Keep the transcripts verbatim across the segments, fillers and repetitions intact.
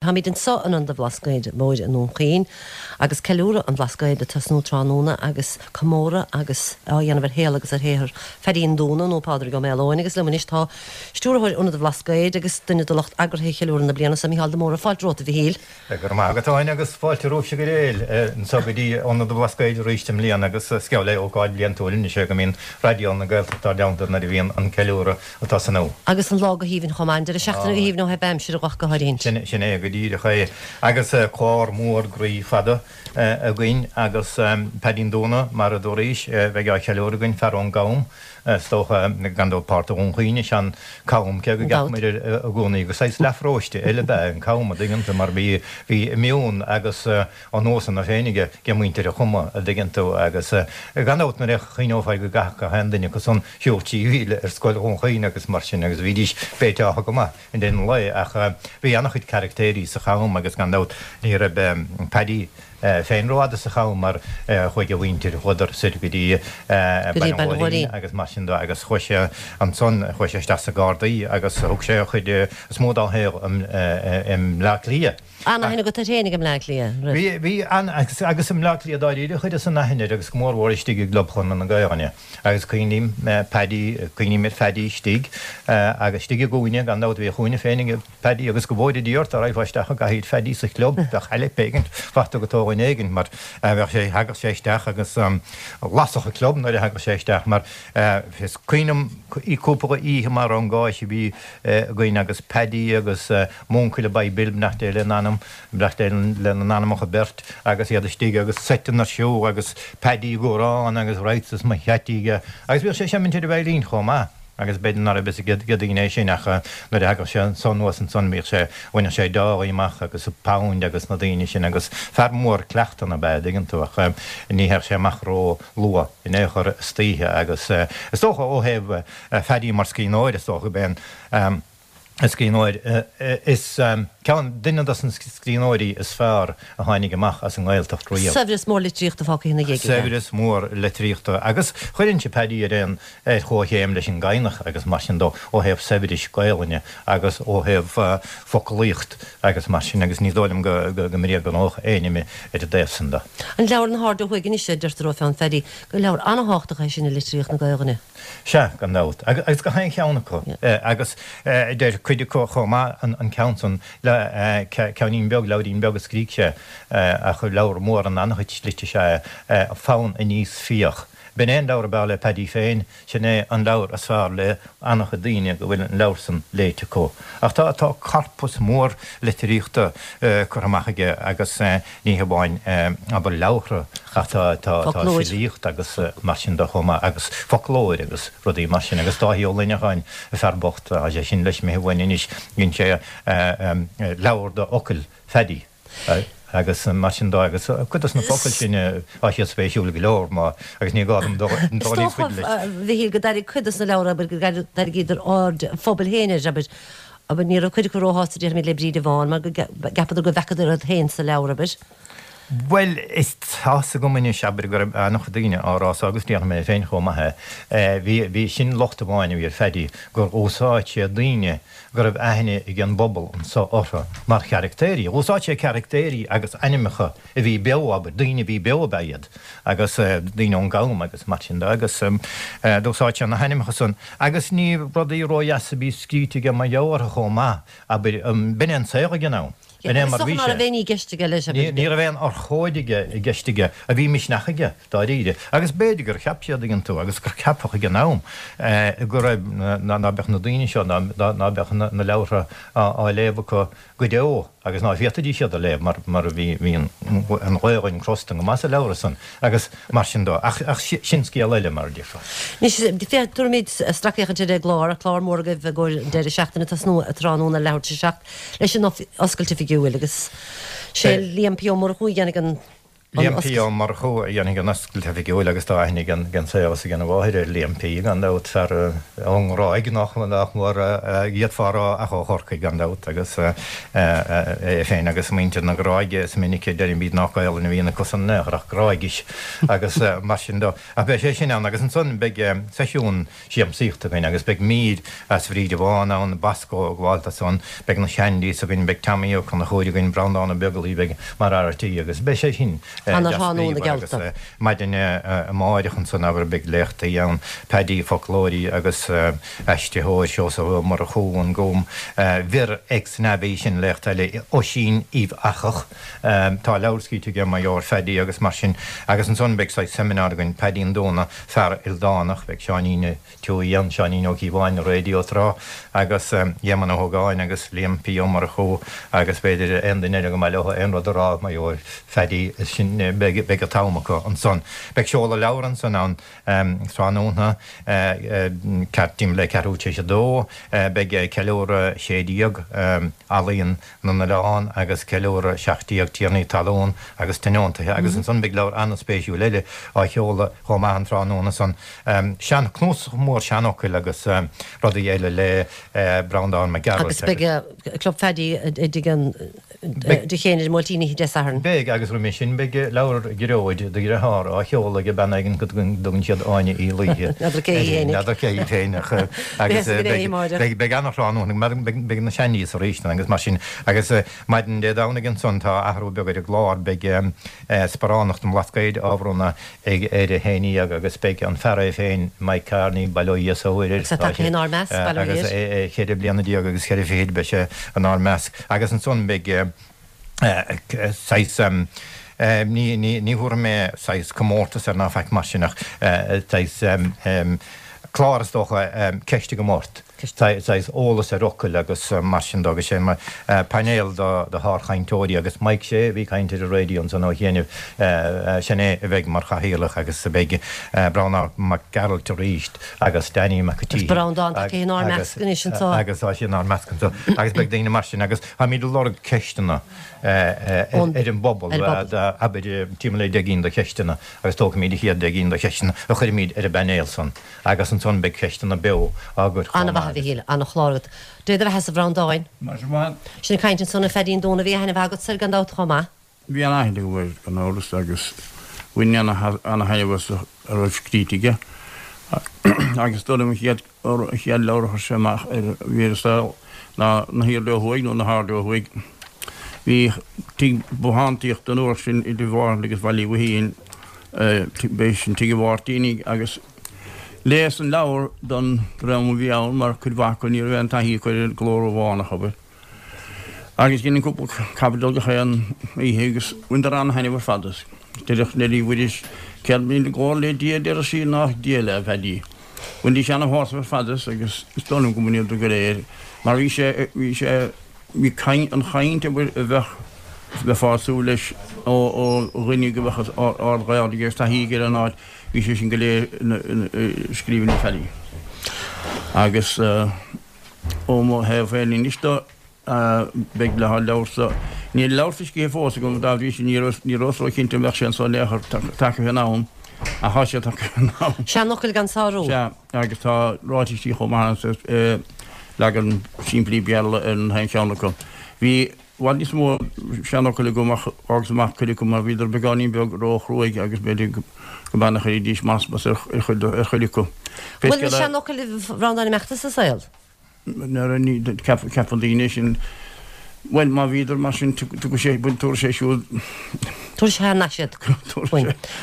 Táimid anseo in Ionad an Bhlascaoid Mhóir i nDún Chaoin agus ceiliúradh an Bhlascaoid ag tosnú tráthnóna agus comóradh agus á dhéanamh ar shaol agus ar shaothar Phaidí an Dúna nó Pádraig Ó Maoileoin agus liom anois tá Stiúrthóir Ionad an Bhlascaoid agus duine de lucht eagraithe cheiliúradh na bliana seo, Mícheál de Mórdha. Fáilte romhat, a Mhichíl. Go raibh maith agat, Áine, agus fáilte romhaibhse go léir anseo go dtí Ionad an Bhlascaoid arís i mbliana agus is geall le ócáid bhliantúil anois é go mbíonn Raidió na Gaeltachta ár dteannta nuair a bhíonn an ceiliúradh ag tosnú. Agus an lá go haoibhinn chomh maith, an deireadh seachtaine go haoibhinn ó thaobh aimsire ach go háirithe. Sin, sin é go díreach é. Agus clár mór groí fada againn agus Paidí an Dúna, mar a dúraís, bheidh á cheiliúradh againn, fear ón gCam, is dócha, gan dabht páirt de Dhún Chaoin is ea an Cam, cé go gceapaimid i gcónaí gur saghas leathpharóiste eile ab ea an Cam, a dtuigeann tú, mar bhí, bhí meon agus a nósanna féin aige, ag muintir an Chama, a dtuigeann tú, agus gan dabht nuair a chuimhneofá go gcaithfeadh gach aon duine acu san siúl trí mhíle ar scoil Dhún Chaoin agus mar sin agus bhídís béiteach go maith i ndeireadh an lae ach bhí an-chuid caractéirí sa Cham agus gan dabht ní raibh Paddy féin rófhada sa Cham mar chuaigh a mhuintir, chuadar soir go dtí Baile an Ghóilín agus mar sin de agus chuaigh sé ansan, chuaigh sé isteach sna Gardaí agus thug sé an chuid is mó dá shaol i mBleá Cliath. An-aithne agat air féin i mBleá Cliath, an raibh? Bhí, bhí, an-, agus i mBleá Cliath dáiríre chuireas an aithne air agus go mór mhór istigh i gClub Chonradh na Gaelainne. Agus cuimhním Paddy, cuimhním ar Phaddy istigh agus istigh i gcúinne, gan dabht, bhí a chúinne féin ag Paddy agus go bhfóire Dia ort dá raghfá isteach i gcathaoir Phaddy sa chlub, bheadh ailib éigint faighte agat ó dhuine éigint mar bheadh sé, thagadh sé isteach agus lasadh an club nuair a thagadh sé isteach mar is cuimhin liom cúpla oíche mar an gcáis a bhí againn agus Paddy agus M'uncail ab é Bill, beannacht Dé lena anam, beannacht Dé lena n-anamacha beirt, agus iad istigh agus seiteanna ar siúl agus Paddy ag amhrán agus right is mo cheaití aige agus bhíodh sé ag seimint ar an veidhlín chomh maith agus b'fhéidir ná raibh fhios ag daoine é sin ach nuair a thagadh sé anso anuas ansan bhíodh sé, bhaineadh sé dálaí amach agus pound agus na daoine sin agus fear mór cleachtanna ab ea, an dtuigeann tú, ach ní théadh sé amach ró luath in aon chor istoíche agus is dócha ó thaobh Phaddy mar scríbhneoir is dócha go b'é an scríbhneoir is ceann, duine dos na scríbhneoirí is fearr a tháinig amach as an nGaeltacht riamh. Saibhreas mór litríochta fágtha ina dhiaidh aige. Saibhreas mór litríochta agus chuirinnse Paddy ar aon, ar chomhchéim leis an gCadhnach agus mar sin dó ó thaobh saibhris Gaelainne agus ó thaobh foclaíocht agus mar sin agus ní dóigh liom go go mbréagnódh éinne mé ar an dtaobh san de. An leabhar Na hAird Ó Thuaidh anois, a deirtear ó pheann Phaddy, gur leabhar an-thábhachtach é sin i litríocht na Gaelainne. Sea, gan dabht. Agus gach aon cheann acu. Agus deir cuid acu chomh maith an ceann san, ceainnín beag, leabhairín beag a scrígh sé, ach leabhar mór in an-chuid slite is ea é, Fonn Aníos Fiach. B'in é an leabhar ab fhearr le Paddy féin, sin é an leabhar is fearr le an-chuid daoine go bhfuil an leabhar san léite acu. Ach tá, tá corpus mór litríochta curtha amach aige agus ní hamháin, abair, leabhartha ach tá, tá, tá filíocht agus mar sin de chomh maith agus foclóir agus rudaí mar sin. Agus Dáithí Ó Luineacháin, an fear bocht, tá sé sin leis imithe uainn anois, dhein sé leabhar de fhocail Phaddy agus mar sin de agus cuid dos na focail sin tá siad spéisiúil go leor má agus ní gá dom dul níos faide leis. Is dócha, a Mhichíl, go dtarraing cuid dos na leabhra, abair, go dtarraingíodar aird an phobail féin air, abair, abair, ní raibh cuid acu róshásta, déarfaimid, le Bríde Bhán mar go gceapadar go bhfeacadar iad féin sa leabhar, abair. Bhuel, is tá's agam anois, abair, go raibh an-chuid daoine á rá so agus déarfaidh mé féin chomh maith é. Bhí, bhí, sin locht amháin a bhí ar Phaddy, gur úsáid sé daoine go raibh aithne ag an bpobal anso orthu mar charactéirí. Úsáid sé caractéirí agus ainmneacha a bhí beo, abair, daoine a bhí beo ab ea iad, agus daoine ón gCam agus mar sin de, agus d'úsáid sé na hainmneacha san. Agus ní rudaí ródheasa a bhí scríte aige mar gheall orthu chomh maith, abair, b'in é an saol ag an am. B'in é mar a bhí sé. Ná raibh aon ní i gceist aige leis, abair. Ní raibh aon urchóid aige i gceist aige, a bhí misneach aige, dáiríre. Agus b'fhéidir gur cheap siad, tuigeann tú, agus gur ceapadh ag an am, go raibh, ná beadh na daoine seo, ná beadh na leabhartha á léamh acu go deo agus ná féadfaidís iad a léamh mar mar bhí bhí an Ghaelainn crosta go maith sa leabhar san agus mar sin de. Ach ach sin scéal eile, mar a déarfá. Anois, féach, tabharfaimid sracfhéachaint ar an gclár, clár mór agaibh i gcomhair an deireadh seachtaine, tosnú tráthnóna leathuair tar éis a seacht. leis an oscailt oifigiúil agus sé Liam P. Ó Murchú a dhéanfaidh an Liam P. Ó Murchú a dhéanfaidh an oscailt oifigiúil agus tá aithne ag an saol is ag an mháthair ar Liam P. gan dabht, fear ón nGráig nach mór d'fhéadfá a rá ach ó Chorcaigh gan dabht agus é féin agus muintir na Gráige is minic a deirimid nach Gaolainn a bhíonn acusan in aon chor ach Gráigis agus mar sin de. Ach beidh sé sin ann agus ansan beidh seisiún siamsaíochta againn agus beidh mír as Bhríde Bhán ann, Bosco ag gabháil ansan, beidh na Shandies againn, beidh Tommy Ó Conchúir againn, Breandán Ó Beaglaoich, beidh mar fhear tí agus beidh sé sin deas bríomhar agus maidin amáireach ansan abair beidh léachtaí ann, Paddy foclóirí agus aistritheoir, Seosamh Ó Murchú, an Gúm, Vir ex Navi, sin léacht eile, Oisín Uíbh Eachach, tá leabhar scríte aige mar gheall ar Phaddy agus mar sin agus ansan beidh saghas seimineár againn, Paidín Dúna, fear ildánach, beidh Seáinín Tuohy ann, Seáinín Ó Cíobháin, Raidió tráth, agus Éamonn Ó hÓgáin agus Liam P. Ó Murchú agus b'fhéidir aon duine eile go mba leo aon rud a rá mar gheall ar Phaddy, sin, beidh, beidh an t-am acu ansan. Beidh seoladh leabhar ansan ann tráthnóna, timpeall le ceathrú tar éis a dó, beidh ceiliúradh sé déag, Ealaíon na nOileán agus ceiliúradh seacht déag, Tiarnaí Talún agus Tionóntaithe agus ansan beidh leabhar an-spéisiúil eile á sheoladh chomh maith an tráthnóna san. Sean, cnuasach mór seanfhocail agus rudaí eile le Breandán Mac Gearailt agus. Beidh Club Phaddy i dtigh an Duchéin ar an mBuailtín oíche Dé Sathairn. Beidh, agus roimhe sin beidh leabhar Ghearóid, do dhearthár, á sheoladh ag bean éigin go dtugann siad Áine Uí Laoithe N'fheadar cé hí féinig. N'fheadar cé hí féin ach agus beidh beidh an-thráthnóna beidh na Shandies arís agus mar sin agus maidin Dé Domhnaigh ansan tá athrú beag ar an gclár beidh sparánacht an Bhlascaoid á bhronnadh ag ar a haon dhéag agus beidh an fear é féin, Mike Kearney, bail ó Dhia is ó Mhuire air, Agus é tagtha inár measc, bail ó Dhia agus air. é cheithre bliana déag agus ceithre fichid beidh sé inár measc. Agus ansan beidh saghas, ní, ní, ní thabharfaidh mé saghas comórtas air ná faic mar sin ach saghas clár is dócha, ceistigh ort. saghas eolas ar fhocail agus mar sin de agus sé mar painéal de shárchainteoirí agus Mike Shea a bhí ag caint ar an raidió ansan ó chianaibh, sin é a bheidh mar chathaoirleach agus beidh Breandán Mac Gearailt arís agus Danny Mac an Agus Breandán tagtha inár measc anois anseo. Agus tá sé inár measc anseo agus beidh daoine mar sin agus táimid ag lorg ceisteanna ar an bpobal, abair timpeall le deich gcinn de cheisteanna agus tógfaimid an chéad deich gcinn de cheisteanna a chuirfimid ar an bpainéal san. Agus ansan beidh ceisteanna beo á gcur chomh Ana-mhaith maith a Mhichíl, ana-chlár agat. Dé do bheatha-sa a Bhreandáin. Maise mhaith. Sin ag caint ansan ar Pheaidín Dúna, bhí aithne mhaith agatsa air gan dabht chomh maith. Bhí an-aithne agam air gan amhras agus bhain ana-thaitneamh as a raibh scríte aige agus is dóigh liom an chéad an chéad leabhar a chuir sé amach ar a bhí ar an saol ná Na hIarlaí Ó Thuaidh nó Na hAird Ó Thuaidh. Bhí tigh bothántaíochta an uair sin idir Mhárthain agus Bhaile Uí Mhaithín, b'é sin Tigh an Mháirtínigh agus Léas an leabhar don dream a bhí ann mar cuid mhaith acu ní raibh aon taithí acu ar an gcló Rómhánach, abair. Agus dhein cúpla caibidil gach aon oíche agus bhaineadar an-thaitneamh ar fad as. Deireadh Neilí Mhuiris, Céard míle glór le Dia a deireadh sí nách Dia le Phaddy. Bhainidís ana-shásamh ar fad as agus is dóigh liom go mbaineadar go léir mar bhí sé, bhí sé, bhí an chaint, abair, a bheadh, bheifeá ag súil leis ó dhuine go mbeadh ard-Ghaeilge agus taithí aige ar an áit. Bhí sé sin go léir i scríbhinní Phaddy. Agus ó mo thaobh féin anois de, beidh le haghaidh leabhar-sa. Níl leabhar foilsithe fós agam, dá bhrí sin ní rabhas ró-chinnte an mbeadh sé anso in aon chor tagtha in am, ach tá sé tagtha in am. Seanfhocail gan sárú. Sea, agus tá ráitisí chomh maith ann, leagan simplí Béarla ar an aon cheann acu. Bhí. I bhfad níos mó seanfhocail agam ach d'fhágas amach cuid acu mar bhíodar beagáinín beag ró-chruaidh agus b'fhéidir go mb'ea nach gcuirfidís masmas ar chuid acu. Bhfuil na seanfhocail a Bhreandáin imeachta sa saol? Ceapann daoine sin. Bhuel, má bhíodar mar sin, tugadh sé, tabharfaidh sé siúd. Tabharfaidh sé thar n-ais iad.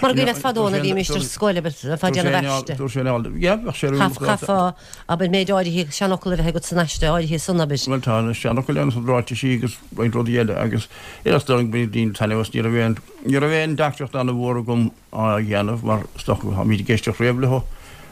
Mar go raibh fadó nuair a bhímist ar scoil, abair, bheifeá ag déanamh aiste. Tabharfaidh sé an, yeah, bheadh sé ar Chaithfeá, abair, méid áirithe seanfhocal a bheith agat san aiste áirithe san, abair. Bhuel, tá na seanfhocail ann, ráitisí agus roinnt rudaí eile agus is dóigh liom go mbaineann daoine taitneamh as. Ní raibh aon, ní raibh aon deacracht an-mhór agam á dhéanamh mar is dócha táimid ag éisteacht riamh leo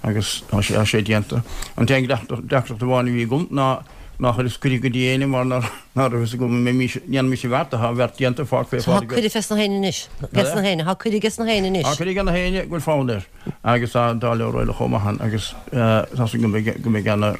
agus tá sé, tá sé déanta. An t-aon deacracht amháin a bhí agam ná nár chuireas cuireadh go dtí éinne mar ná raibh fhios agam an mbeimis, ndéanfaimis an bheart, tá an bheart déanta, fág fé Tá cuireadh fes na héinne anois, ges na héinne, tá cuireadh ges na héinne anois. Tá cuireadh ag na héinne go bhfuil fonn air agus tá dá leabhar eile chomh maith ann agus tá súil agam go mbeidh, go mbeidh ana,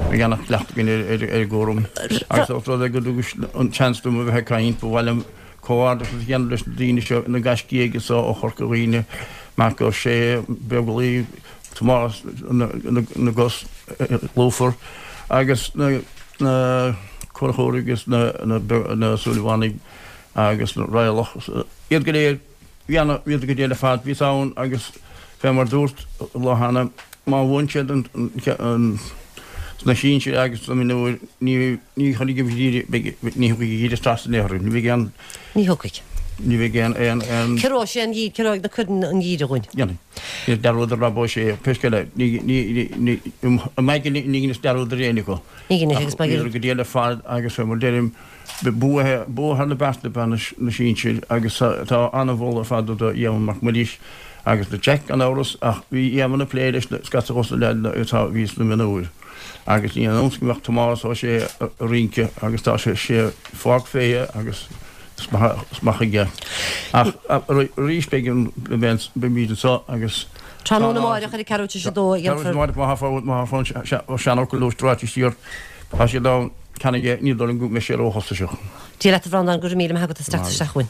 beidh ana chleachtadh againn ar, ar, ar an gcúram agus os rud é go dtugais an seans dom a bheith ag caint, ba mhaith liom Comhghairdeachas a dhéanamh leis na daoine seo, na gaiscígh anso ó Chorca Dhuibhne, Marc Ó Sé, Beaglaoich, Tomás na gCos Lúfar agus na Conchúir agus na Súilleabhánaigh agus na Raghallach, iad go léir, bhí ana, bhíodar go diail ar fad, bhíos ann agus fé mar dúrt an lá cheana, má bhuann siad an, sna sinsir agus sna mionúir, ní, ní chuirfidh an geimhreadh, beidh, ní thiocfaidh an geimhreadh trasna in aon chor, ní bheidh aon. Ní thiocfaidh. Ní bheidh aon, aon, aon. Ciorróidh sé an geimhreadh, ciorróidh na cuireann an geimhreadh dhúinn. Dhéanfaidh. Ní dearúd ar Rob Ó Sé, pé scéal é, ní, ní, ní, ní, i m'aigne ní dheineas dearúd ar éinne acu. Ní dheineas agus beidh. Bhíodar go diail ar fad agus fé mar deirim, bua, bua thar na bearta ab ea na sinsir agus tá an-mholadh ar fad do Éamonn Mac Muiris agus do Jack gan amhras ach bhí Éamonn ag plé leis scata dos na leaideanna atá a bhí sna mionúir agus ní aon iontas go mbeadh Tomás Ó Sé ag rince agus tá sé sé pháirc féithe agus is maith aige ach arís beidh an beimid anseo agus Tráthnóna amáireach ar a ceathrú tar éis a dó a dhéanfar. Má tá fonn seanfhocal ráite siar tá siad ann. Ceannaigh é, ní dóigh liom go mbeidh sé róchostasach. Dia leat a Bhreandáin, go raibh míle maith agat as teacht isteach chugainn.